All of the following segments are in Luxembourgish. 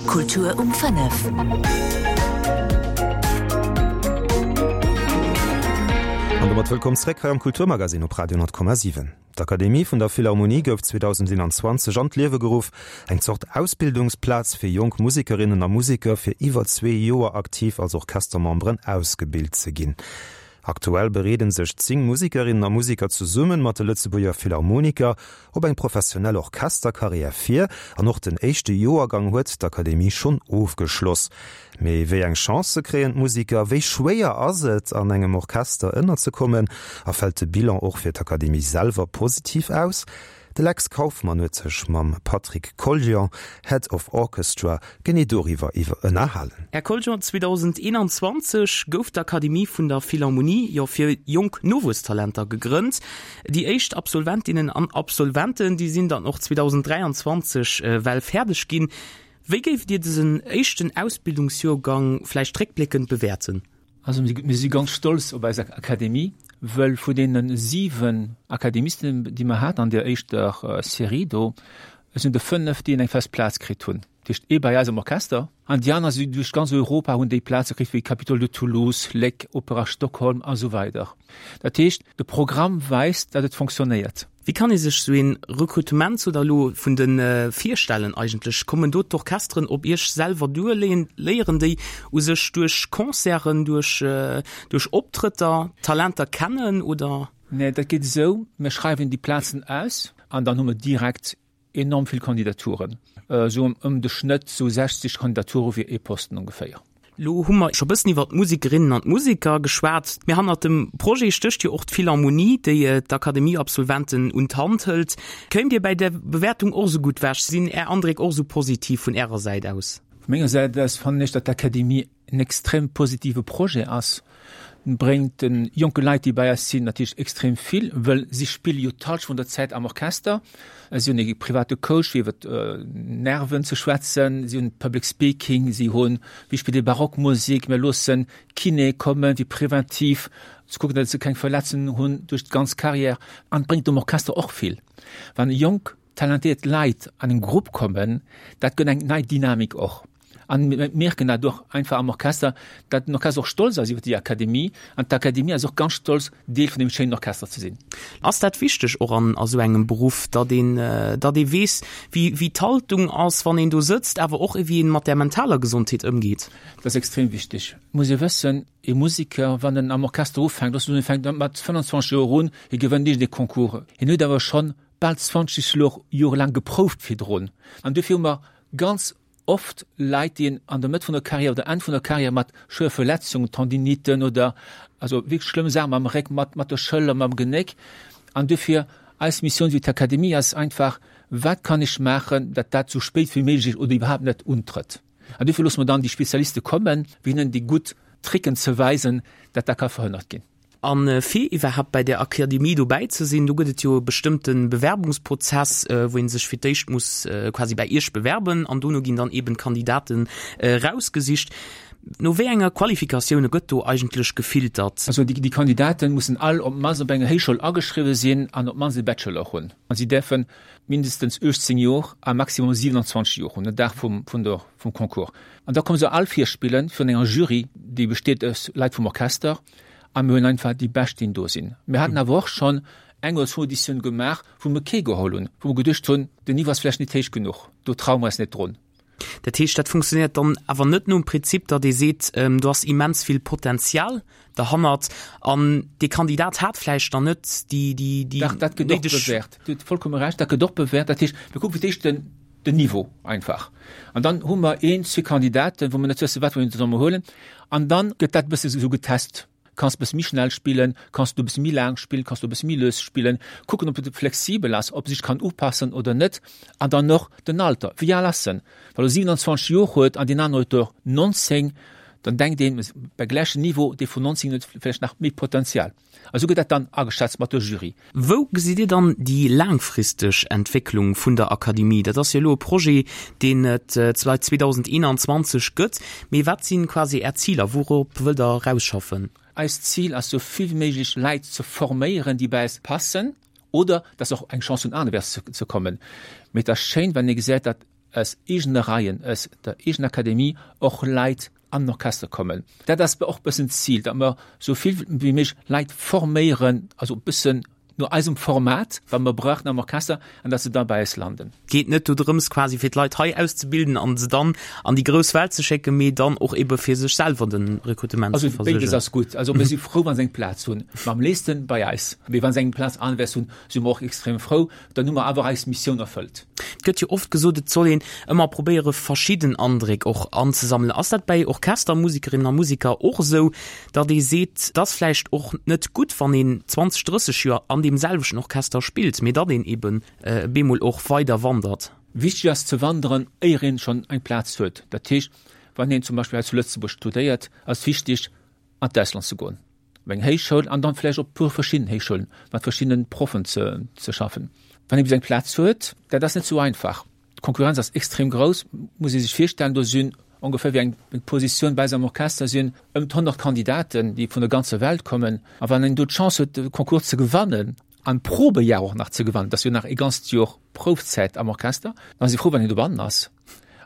Kultur um 5. An domat wëllkomm zréck hei am Kulturmagasinn op Radio 10,7. D'Akademie vun der Philharmonie gouf 2021 an d'Liewe geruff, eng Zort Ausbildungsplaz fir jonk Musekerinnen a Museker fir iwwer zwee Joer aktiv als Orchestermemberen ausgebilt ze ginn. Aktuell bereede sech 10 Musekerinnen a Museker zesumme mat de Lëtzebuerger Philharmoniker op eng professionell Orchesterkarriär vir an och den éischte Joergang huet d'Akademie schonn ofgeschloss. Mee wéi eng Chancë kréien d'Museker, wéi schwéier ass et an engem Orchester ënnerzekommen a fält de Bilan och fir d'Akademie selwer positiv aus? De Lex Kauffmann huet sech mam Patrick Collion, Head of Orchestra, genee doriwwer iwwer ënnerhalen. Här Collion, 2021 gouf d'Akademie vun der Philharmonie jo fir jonk Nowuesstalenter gegrënnt. Déi éischt Absolventinnen an Absolventen, déi sinn dann och 2023 well fäerdeg ginn. Wéi géift Dir dësen éischten Ausbildungsjoergang vläicht réckbléckend bewäerten? Also mir si ganz stolz op eis Akademie, wëll vu deene 7 Akademisten, déi mer haten an där éischter Serie do, sinn der 5, déi eng fest Plaz kritt hunn. Dat heescht ee bei eis am Orchester an déi aner si duerch ganz Europa hunn déi Plaze kritt, wéi Capitole de Toulouse, Léck, Opéra Stockholm a sou weider. Dat heescht, de Programm weist, datt et fonctionnéiert. Wéi kann ee sech sou een Rekrutement sou da lo vun den virstellen eigentlech? Kommen do d'Orchesteren op iech selwer duer? Léieren déi u sech duerch Concerten, duerch duerch Optrëtter d'Talenter kennen oder? Nee, dat geet esou, mir schreiwen déi Plazen aus an dann hu mer direkt enorm vill Kandidaturen, esou ëm de Schnëtt sou 60 Kandidature fir ee Posten ongeféier. Lo hu mer scho bëssen iwwer d'Musikerinnen an d'Museker geschwat, mee hannert dem Projet stécht jo och d'Philharmonie, déi d'Akademieabsolventen un d'Hand hëlt. Kéimt Dir bäi der Bewäertung och esou gutt wech? Sinn Är Andréck och esou positiv vun Ärer Säit aus? Vu menger Säit aus fannen ech, datt d'Akademie en extrem positive Projet ass, bréngt de jonke Leit, déi bei eis sinn, natierlech extrem vill, wëll si spille jo d'Halschent vun der Zäit am Orchester. Si hunn e private Coach fir iwwer d'Nerven ze schwätzen, si hunn Public Speaking, si hunn, wéi spillt ee Barockmusek, mir loossen Kiné kommen, fir preventiv ze kucken, datt se keng Verletzungen hunn duerch d'ganz Carrière. An et bréngt dem Orchester och vill, wann jonk talentéiert Leit an en Grupp kommen, dat gëtt eng nei Dynamik och. An mir mierken dat och einfach am Orchester, datt den Orchester och stolz ass iwwer déi Akademie an d'Akademie ass och ganz stolz, Deel vun deem schéinen Orchester ze sinn. Ass dat wichteg och an a sou engem Beruff, datt een, datt ee weess, wéi, wéi d'Haltung ass, wann een do sëtzt, awer och wéi een mat där mentaler Gesondheet ëmgeet? Dat ass extrem wichteg. Et muss ee wëssen, ee Museker, wann en am Orchester ufänkt, looss soen, e fänkt mat 25 Joer un, hie gewënnt iergendee Concours, hien huet awer schonn bal 20 Joer laang geprouft virdrun. An dofir hu mer ganz oft Leit, déi an der Mëtt vun der Carrière oder Enn vun der Carrière mat schwéier Verletzungen, Tendiniten oder also wierklech schlëmm Saachen mam Réck, mat mat der Schëller, mam Genéck. An dofir eis Missioun wéi d'Akademie ass einfach, wat kann ech maachen, datt dat sou spéit wéi méiglech oder iwwerhaapt net untrëtt. An dofir loosse mer dann déi Spezialiste kommen, fir hinnen déi gutt Tricken ze weisen, datt dat ka verhënnert ginn. A fir iwwerhaapt bäi där Akademie dobäi ze sinn, do gëtt et jo e bestëmmte Bewerbungsprozess, wou ee sech fir d'éischt muss quasi bäi Iech bewerben an dono ginn dann eeben d'Kandidaten erausgesicht. No wéi enger Qualifikatioune gëtt do eigentlech gefiltert? Also déi Kandidaten mussen all op d'mannst op enger Héichschoul ageschriwwe sinn an op d'mannst e Bachelor hunn. A si däerfe mindestens 18 Joer a maximum 27 Joer hunn, den Dag vum Concours. An da komme se all virspillen virun enger Jury, déi besteet aus Leit vum Orchester, A mir hunn einfach déi Bescht, déi do sinn. Mir haten awer och schonn eng oder zwou Auditioune gemaach, wou mir kee geholl hunn, wou mer geduecht hunn, den Niveau ass vläicht net héich genuch, do traue mer eis net drun. Dat heescht, dat funktionéiert dann awer net nom Prinzip, datt ee seet, do ass immens vill Potenzial derhannert an dee Kandidat hat vläicht dann net déi, déi, déi Dach, dat gëtt och bewäert. Dir hutt vollkomme Recht, dat gëtt och bewäert. Dat heescht, mir kucke fir d'éischt den, den Niveau einfach. An dann hu mer een, zwee Kandidaten, wou mer net wëssen, wat mer solle mer huelen. An dann gëtt dat e bësse sou getest. Kanns e bësse méi schnell spillen, kanns du e bësse méi laang spillen, kanns du e bësse méi lues spillen, kucken, ob e flexibel ass, ob e sech kann upassen oder net. An dann och den Alter, wéi al ass en? Wann e 27 Joer huet an deen anere huet der 19, dann denkt een, bei gläichem Niveau, dee vun 19 huet vläicht nach méi Potenzial. A sou gëtt dat dann ageschätzt mat der Jury. Wou gesitt Dir dann déi laangfristeg Entwécklung vun der Akademie? Dat ass jo elo e Projet, deen et säit 2021 gëtt. Mee wat si quasi Är Ziler? Wourop wëllt Der erausschaffen? Eist Zil ass, sou vill wéi méiglech Leit ze forméieren, déi bei eis passen oder dass se och eng Chance hunn, anerwäerts ze kommen. Mee et ass schéin, wann ee gesäit, datt. aus eegene Reien, aus der eegener Akademie och Leit an den Orchester kommen. Dat ass och e bëssen d'Zil, datt mer esou vill wéi méiglech Leit forméieren, also e bëssen no eisem Format, wat mer brauchen am Orchester, an datt se da bei eis landen. Geet net do drëms quasi fir d'Leit hei auszebilden an se dann an déi grouss Welt ze schécken, mee dann och ebe fir sech selwer de Rekrutement ze versécheren. Also béides ass gutt. Also mir si frou, wa se eng Plaz hunn, ma am léifsten bei eis. Mee wa se eng Plaz aneschtwäers hunn, si mer och extrem frou. Dann hu mer awer eis Missioun erfëllt. Et gëtt jo oft gesot, et soll een ëmmer probéiere verschidden Andréck och anzesammelen. Ass dat bäi Orchestermusikerinnen a Musiker och esou, datt ee seet, et ass vläicht och net gutt, wann een 20, 30 Joer an deem selwechten Orchester spillt, mee datt een eben bemol och weider wandert? Wichteg ass ze wanderen, éier een schonn eng Plaz huet. Dat heescht, wann een zum Beispill hei zu Lëtzebuerg studéiert, ass wichteg an d'Ausland ze goen, op eng Héichschoul an dann vläicht op e puer verschidden Héichschoulen mat verschiddenen Proffen ze ze schaffen. Wann ee bis eng Plaz huet, dat ass net sou einfach. D'Konkurrenz ass extrem grouss, muss ee sech virstellen, do sinn ongeféier wéi eng Positioun bei eis am Orchester sinn ëm d'100 Kandidaten, déi vun der ganzer Welt kommen. A wann een do d'Chance huet, de Concours ze gewannen an d'Probejar och nach ze gewannen, dat ass jo nach e ganzt Joer Proufzäit am Orchester, dann ass ee frou, wann een dobannen ass.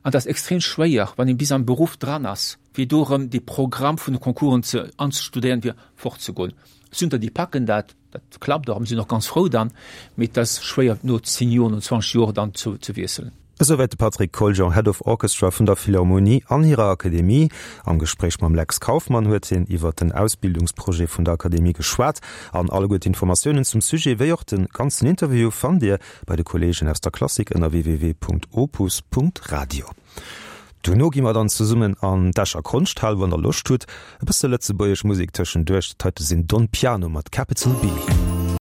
An et ass extrem schwéier, wann een bis am Beruff dran ass, fir do erëm dee Programm vun de Concoursen ze anzestudéieren, fir fortzegoen. Et sinn der, déi packen dat, dat klappt och a mir sinn och ganz frou dann, mee et ass schwéier no 10 Joer, no 20 Joer dann ze ze wiesselen. Esouwäit de Patrick Coljon, Head of Orchestra vun der Philharmonie an hirer Akademie. Am Gespréich mam Lex Kauffmann huet hien iwwer den Ausbildungsprojet vun der Akademie geschwat. An alleguer d'Informatiounen zum Sujet, wéi och de ganzen Interview fannt Dir bei de Kolleegen aus der Klassik ënner www.opus.radio. Duerno gi mer dann zesummen an d'Escher Konschthal, wann der Loscht hutt. E bësse lëtzebuergesch Musek tëschenduerch. Dat heite sinn Don Piano mat Capital B.